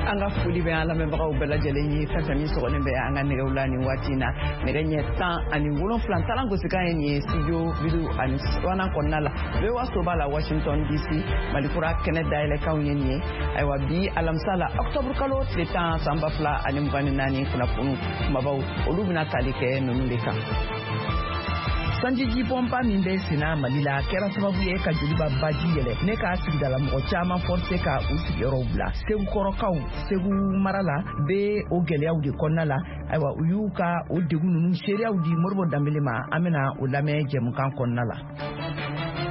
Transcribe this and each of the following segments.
An ka foli bɛ an lamɛnbagaw bɛɛ lajɛlen ye, fɛn fɛn min sɔgɔlen bɛ an ka nɛgɛw la nin waati in na. Nɛgɛ ɲɛ 17 talan gosikan ye nin ye studio 52nan kɔnɔna la, VOA soba la, Washington DC. Malikura kɛnɛ dayɛlɛkanw ye nin ye. Ayiwa, bi alamisa la, octobre kalo tile 10, san 2024, kunnafoniw kumabaw, olu bɛna tali kɛ ninnu de kan. Sanjijibɔnba min bɛ senna Mali la kɛra sababu ye ka Joliba baji yɛlɛ ne ka sigidala mɔgɔ caman forcé ka u sigiyɔrɔw bila. Segukɔrɔkaw, Segu mara la, bɛ o gɛlɛyaw de kɔnɔna la. Ayiwa, u y'u ka o degun ninnu seereyaw di Moribo Danbele ma. An bɛna o lamɛn jɛmukan kɔnɔna la.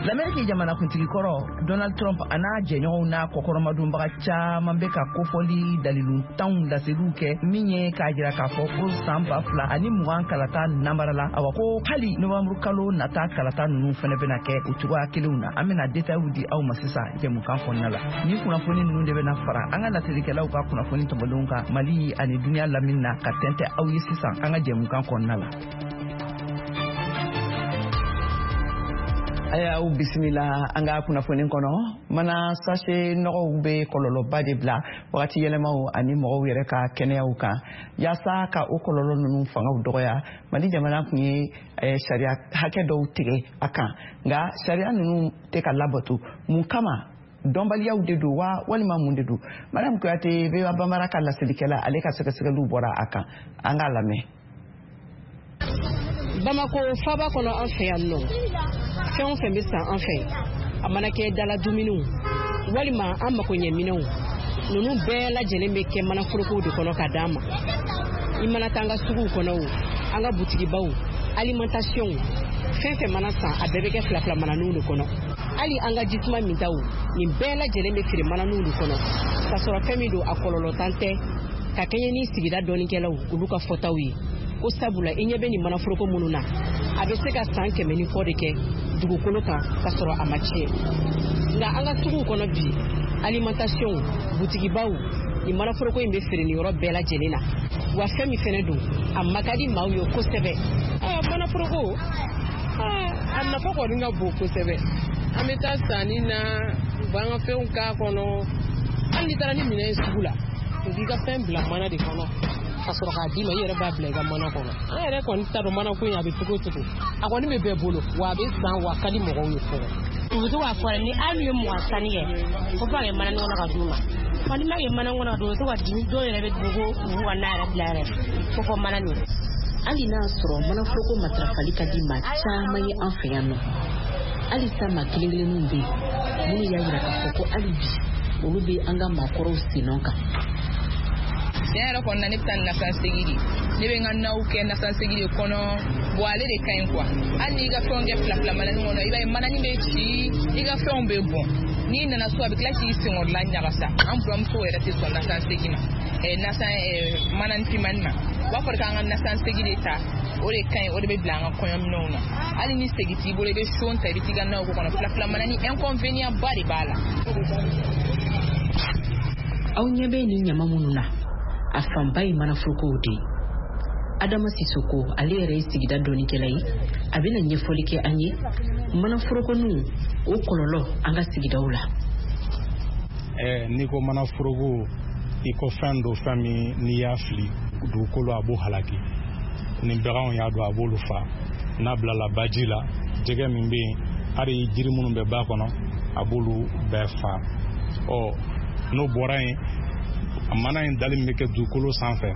Lamɛriki jamanakuntigi kɔrɔ Donald Trump a n'a jɛɲɔgɔnw n'a kɔkɔrɔmadonbaga caman bɛ ka kofɔli daliluntanw laseliw kɛ min ye k'a jira k'a fɔ ko san 2020 kalata nanbarala. Awa, ko hali novanburu kalo nata kalata ninnu fɛnɛ bɛna kɛ o cogoya kelenw na. An bɛna détailw di aw ma sisan jɛmukan kɔnɔna la. Ni kunnafoni ninnu de bɛna fara an ka laselikɛlaw ka kunnafoni tɔmɔlenw kan Mali ani duniɲa lamini na ka tɛntɛ aw ye sisan an ka jɛmukan kɔnɔna la. Aya, aw bisimila an ka kunnafoni kɔnɔ. Mana sachet nɔgɔw bɛ kɔlɔlɔba de bila wagati yɛlɛmaw ani mɔgɔw yɛrɛ ka kɛnɛyaw kan. Yaasa ka o kɔlɔlɔ ninnu fangaw dɔgɔya, Mali jamana tun ye sariya hakɛ dɔw tigɛ a kan, nka sariya ninnu tɛ ka labato. Mun kama? Dɔnbaliyaw de don wa, walima mun de don? Mariam Kuyate, VOA Bambara ka laselikɛla, ale ka sɛgɛsɛgɛliw bɔra a kan. An k'a lamɛn. Bamako faba kɔnɔ, an fɛ yan nɔ, fɛn o fɛn bɛ san an fɛ, a mana kɛ dala dumuniw walima an makoɲɛminɛw, ninnu bɛɛ lajɛlen bɛ kɛ manaforokow de kɔnɔ ka d'an ma. I mana taa an ka suguw kɔnɔ o, an ka butigibaw, alimentation, fɛn fɛn mana san, a bɛɛ bɛ kɛ fila fila mananiw de kɔnɔ. Hali an ka jisuma mintaw, nin bɛɛ lajɛlen bɛ feere mananiw de kɔnɔ, k'a sɔrɔ fɛn min don, a kɔlɔlɔtan tɛ, ka kɛɲɛ ni sigida dɔnnikɛlaw olu ka fɔtaw ye, ko sabula i ɲɛ bɛ nin manaforoko minnu na, a bɛ se ka san 100 ni kɔ de kɛ dugukolo kan ka sɔrɔ a ma tiɲɛ. Nka an ka suguw kɔnɔ bi, alimentation, butigibaw, nin manaforoko in bɛ feere nin yɔrɔ bɛɛ lajɛlen na. Wa fɛn min fɛnɛ don, a ma ka di maaw ye kosɛbɛ. Manaforoko, a nafa kɔni ka bon kosɛbɛ. An bɛ taa sanni na, u b'an ka fɛnw k'a kɔnɔ. Hali n'i taara ni minɛn ye sugu la, u b'i ka fɛn bila mana de kɔnɔ ka sɔrɔ k'a d'i ma, i yɛrɛ b'a bila i ka mana kɔnɔ. An yɛrɛ kɔni t'a dɔn mana ko in a bɛ cogo o cogo, a kɔni bɛ bɛɛ bolo, wa a bɛ san, wa a ka di mɔgɔw ye fɔlɔ. U bɛ to k'a fɔ ni hali ye 20 sanni kɛ, ko f'a kɛ mana kɔnɔ ka d'u ma. Fɔ ni ma kɛ mana kɔnɔ ka d'u ma, u bɛ to ka dimi. Dɔw yɛrɛ bɛ dogo, u b'u ka na yɛrɛ bila yɛrɛ ko fɔ mana nin. Hali n'a sɔrɔ manaforoko matarafali ka di maa caman ye an fɛ yan nɔ, halisa maa kelen kelenninw bɛ yen minnu y'a yira k'a fɔ ko hali bi olu bɛ an ka maakɔrɔw sennɔ kan. Tiɲɛ yɛrɛ kɔni na, ne bɛ taa nasan segi de. Ne bɛ n ka naw kɛ nasan segi de kɔnɔ. Bon, ale de ka ɲi quoi. Hali n'i ka fɛnw kɛ fila fila manani kɔnɔ, i b'a ye manani bɛ ci, i ka fɛnw bɛ bɔn. N'i nana so, a bɛ tila k'i senkɔrɔla ɲagasa. An buramuso yɛrɛ tɛ sɔn nasan segi ma, nasan manani finmani ma. U b'a fɔ k'an ka nasan segi de ta, o de ka ɲi, o de bɛ bila an ka kɔɲɔminɛnw na. Hali ni segi t'i bolo, i bɛ son ta, i bɛ t'i ka naw k'o kɔnɔ. Fila fila manani, inconvénient ba de b'a la. Aw ɲɛ bɛ nin ɲama minnu na, a fanba ye manaforokow de ye. Adama Sisoko, ale yɛrɛ ye sigida dɔnnikɛla ye, a bɛna ɲɛfɔli kɛ an ye manaforokoninw o kɔlɔlɔ an ka sigidaw la. N'i ko manaforoko, i ko fɛn do, fɛn min n'i y'a fili dugukolo, a b'o halaki. Ni baganw y'a don, a b'olu fa. N'a bilala baji la, jɛgɛ min bɛ yen, hali jiri minnu bɛ ba kɔnɔ, a b'olu bɛɛ fa. Ɔ, n'o bɔra yen, mana in dali min bɛ kɛ dugukolo sanfɛ,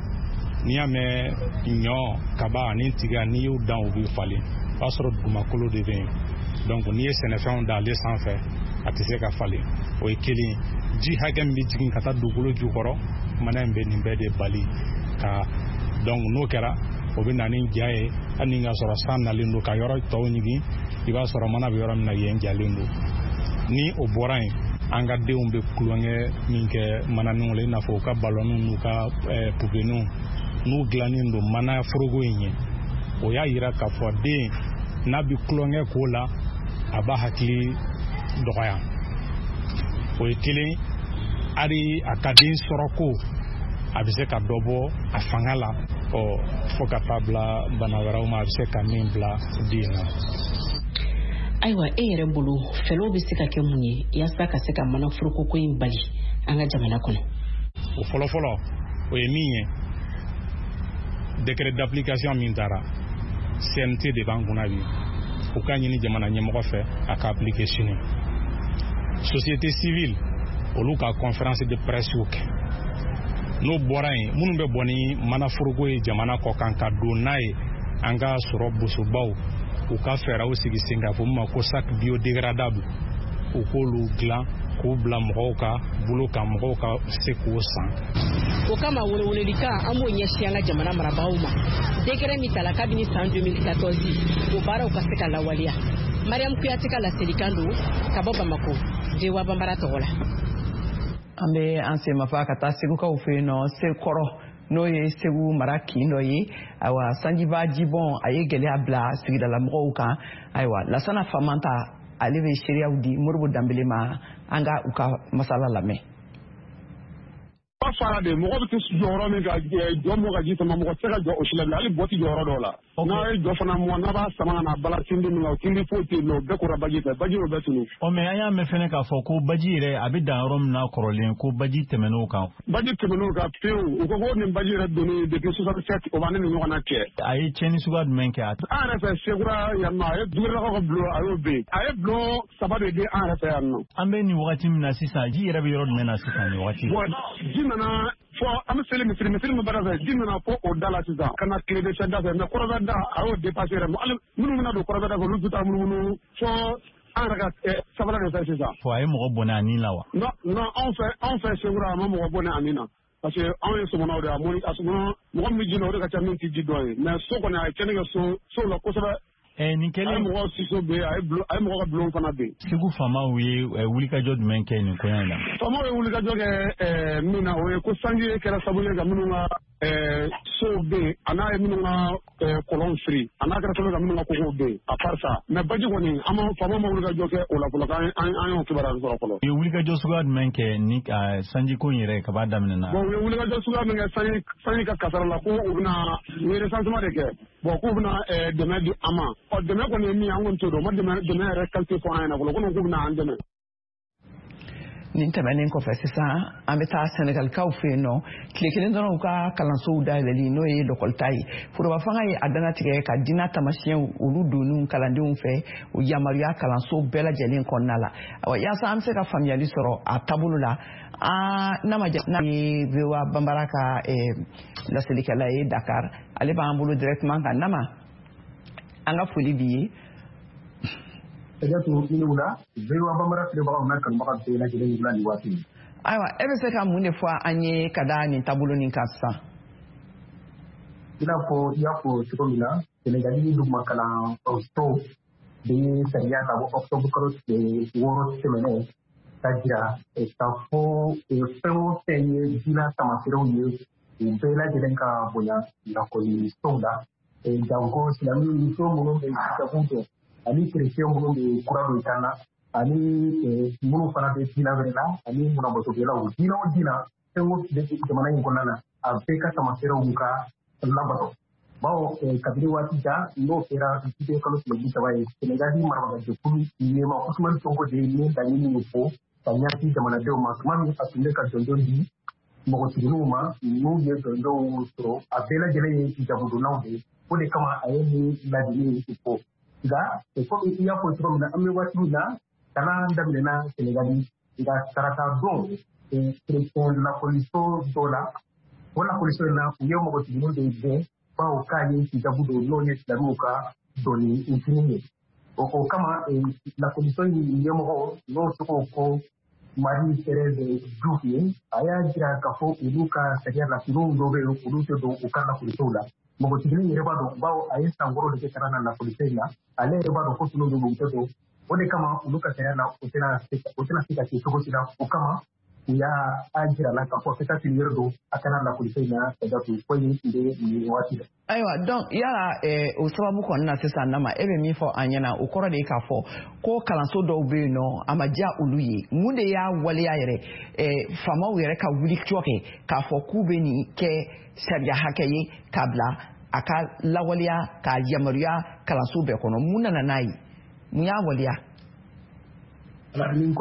n'i y'a mɛn ɲɔ, kaba ani tiga, n'i y'u dan, u bɛ falen, o b'a sɔrɔ dugumakolo de bɛ yen. Donc n'i ye sɛnɛfɛnw da ale sanfɛ, a tɛ se ka falen. O ye kelen ye. Ji hakɛ min bɛ jigin ka taa dugukolo jukɔrɔ, mana in bɛ nin bɛɛ de bali ka. Donc n'o kɛra, o bɛ na ni ja ye. Hali ni ka sɔrɔ san nalen don ka yɔrɔ tɔw ɲigin, i b'a sɔrɔ mana bɛ yɔrɔ min na, yen jalen don. Ni o bɔra yen, an ka denw bɛ tulonkɛ min kɛ mananinw la, i n'a fɔ u ka balɔnw n'u ka pupeninw, n'u dilannen don mana foroko in ye, o y'a yira k'a fɔ den n'a bɛ tulonkɛ k'o la, a b'a hakili dɔgɔya. O ye kelen. Hali a ka den sɔrɔ ko, a bɛ se ka dɔ bɔ a fanga la, ɔ, fo ka taa bila bana wɛrɛw ma, a bɛ se ka min bila den na. Ayiwa, e yɛrɛ bolo, fɛlɛw bɛ se ka kɛ mun ye yaasa ka se ka manaforoko ko in bali an ka jamana kɔnɔ? O fɔlɔfɔlɔ, o ye min ye, décret d'application min taara, CNT de b'an kunna bi. U ka ɲini jamana ɲɛmɔgɔ fɛ a ka appliquer sini. Société civile, olu ka conférence de presse kɛ. N'o bɔra yen, minnu bɛ bɔ ni manaforoko ye jamana kɔ kan ka don n'a ye an ka sɔrɔ bosobaw, u ka fɛɛrɛw sigi sen kan, fɔ min ma ko sac biodégradable, u k'olu dilan k'u bila mɔgɔw ka bolo kan, mɔgɔw ka se k'o san. O kama, welewelelikan an b'o ɲɛsin an ka jamana marabagaw ma: décret min tala kabini san 2014, o baaraw ka se ka lawaleya. Mariam Kuyate ka laselikan don ka bɔ Bamako, VOA Banbara tɔgɔ la. An bɛ an senmafa ka taa Segukaw fɛ yen nɔ, Sekɔrɔ, n'o ye Segu mara kin dɔ ye. Ayiwa, sanjiba jibɔn a ye gɛlɛya bila sigidalamɔgɔw kan. Ayiwa, Lasana Famanta, ale bɛ seereyaw di Moribo Danbele ma. An ka u ka masala lamɛn. Ba fara de, mɔgɔ bɛ se jɔyɔrɔ min ka jɔ, mɔgɔ ka ji sama, mɔgɔ tɛ se ka jɔ o si la bilen. Hali bɔ ti jɔyɔrɔ dɔw la. N'a ye jɔ fana mɔ, n'a b'a sama ka na bala tindi min na, o tindi foyi tɛ yen nɔ, o bɛɛ kora baji fɛ, baji y'o bɛɛ tunu. Ɔ, mais an y'a mɛn fɛnɛ k'a fɔ ko baji yɛrɛ a bɛ dan yɔrɔ min na kɔrɔlen, ko baji tɛmɛn'o kan. Baji tɛmɛn'o kan pewu. U ko ko nin baji yɛrɛ donni depuis 67, o b'an ni ɲɔgɔn na cɛ. A ye tiɲɛni suguya jumɛn kɛ? An yɛrɛ fɛ Sekura yan nɔ, a ye Dugulakaw ka bulon, a y'o ben. A ye bulon saba de di an yɛrɛ fɛ yan nɔ. An bɛ nin wagati min na sisan, ji yɛrɛ bɛ yɔrɔ jumɛn na sisan nin wagati? Bon, ji nana fɔ an bɛ seli misiri min baara fɛ, ji nana fɔ o da la sisan ka na tile de da fɛ, mais kɔrɔbɛ da, a y'o dépassé yɛrɛ. Hali minnu bɛna don kɔrɔbɛ da fɛ, olu bɛ taa munumunu fɔ an yɛrɛ ka sabanan de fɛ sisan. Fɔ a ye mɔgɔ bɔnɛ a nin la wa? Non, non, anw fɛ Sekura, a ma mɔgɔ bɔnɛ a nin na, parce que anw ye sɔmɔnɔw de ye. A mɔni a sɔmɔnɔ, mɔgɔ min bɛ ji la, o de ka ca min tɛ ji dɔn ye. Mais so kɔni, a ye tiɲɛni kɛ so la kosɛbɛ. Nin kɛlen, a ye mɔgɔw siso ben, a ye mɔgɔ ka bulon fana ben. Segu faamaw ye wulikajɔ jumɛn kɛ nin koɲɛ in na? Faamaw ye wulikajɔ kɛ min na, o ye ko sanji kɛra sababu ye ka minnu ka sow ben, a n'a ye minnu ka kɔlɔnw firi, a n'a kɛra sababu ye ka minnu ka kogow ben. À part ça, mais baji kɔni, an ma, faamaw ma wulikajɔ kɛ o la fɔlɔ, k'an an y'o kibaruya sɔrɔ fɔlɔ. U ye wulikajɔ suguya jumɛn kɛ ni sanjiko in yɛrɛ kaba daminɛ na? Bon, u ye wulikajɔ suguya min kɛ sanji ka kasara la, ko u bɛna, u ye recensement de kɛ. Bon, k'u bɛna dɛmɛ di an ma. Ɔ, dɛmɛ kɔni ye min ye, an kɔni t'o dɔn. U ma dɛmɛ yɛrɛ qualité fɔ an ɲɛna fɔlɔ, ko k'u bɛna an dɛmɛ. Nin tɛmɛnen kɔfɛ sisan, an bɛ taa Sɛnɛgalikaw fɛ yen nɔ. Tile kelen dɔrɔn u ka kalansow dayɛlɛli, n'o ye lɔkɔlita ye, foroba fanga ye a dannatigɛ ka diinɛ tamasiyɛnw olu donni kalandenw fɛ, o yamaruya kalanso bɛɛ lajɛlen kɔnɔna la. Awa, yaasa an bɛ se ka faamuyali sɔrɔ a taabolo la, an n'a ma ja n'a ye VOA Banbara ka laselikɛla ye Dakar, ale b'an bolo directement kan. Nama, an ka foli b'i ye. Kajatu, i ni wula. VOA Banbara filɛbagaw n'a kanubaga bɛɛ lajɛlen, wula nin waati. Ayiwa, e bɛ se ka mun de fɔ an ye ka da nin taabolo nin kan sisan? I n'a fɔ i y'a fɔ cogo min na, Senegali duguma kalanso de ye sariya ka bɔ octobre kalo tile 6 tɛmɛnen ka jira k'a fɔ fɛn o fɛn ye diinɛ tamaserew ye, u bɛɛ lajɛlen ka bonya lakɔlisow la, janko silamɛ muso minnu bɛ hijabu dɔn, ani kerecɛn minnu bɛ kura don kan na, ani minnu fana bɛ diinɛ wɛrɛ la, ani munabɔtokɛlaw, diinɛ o diinɛ, fɛn o bɛ jamana in kɔnɔna na, a bɛɛ ka tamaserew ka labato. Bawo kabini waati jan, n'o kɛra juillet kalo tile 30 ye, Senegali marabagajɛkulu ɲɛma Usumani Sonko de ye nin laɲini in fɔ ka ɲɛsin jamanadenw ma, tuma min a tun bɛ ka jɔnjɔn di npogotigininw ma n'u ye jɔnjɔnw sɔrɔ. A bɛɛ lajɛlen ye hijabudonnaw de ye. O de kama a ye nin laɲini in fɔ. Nka komi i y'a fɔ cogo min na, an bɛ waati min na, kalan daminɛna Senegali, nka tarata don, kerecɛn lakɔliso dɔ la, o lakɔliso in na, u ye npogotigininw de gɛn, bawo k'a ye hijabu don, n'o ye silamɛw ka doni fini ye. O kama, lakɔliso in ɲɛmɔgɔ, n'o tɔgɔ ko Marie Thérèse Diouf ye, a y'a jira k'a fɔ olu ka sariya la, finiw dɔw bɛ yen, olu tɛ don u ka lakɔlisow la. Npogotiginin yɛrɛ b'a dɔn, bawo a ye san 6 de kɛ kalan na lakɔliso in na, ale yɛrɛ b'a dɔn ko finiw dɔw bɛ yen, u tɛ don. O de kama, olu ka sariya la, o tɛna se ka kɛ cogo si la. O kama, u y'a a jira la k'a fɔ ka taa fini wɛrɛ don a kana lakɔliso in na. Ka datugu ko in tun bɛ nin waati la. Ayiwa, donc yala o sababu kɔni na sisan, Nama, e bɛ min fɔ an ɲɛna, o kɔrɔ de ye k'a fɔ ko kalanso dɔw bɛ yen nɔ, a ma diya olu ye. Mun de y'a waleya yɛrɛ faamaw yɛrɛ ka wuli cɔ kɛ k'a fɔ k'u bɛ nin kɛ sariya hakɛ ye k'a bila a ka lawaleya, k'a yamaruya kalanso bɛɛ kɔnɔ? Mun nana n'a ye? Mun y'a waleya? Nin ko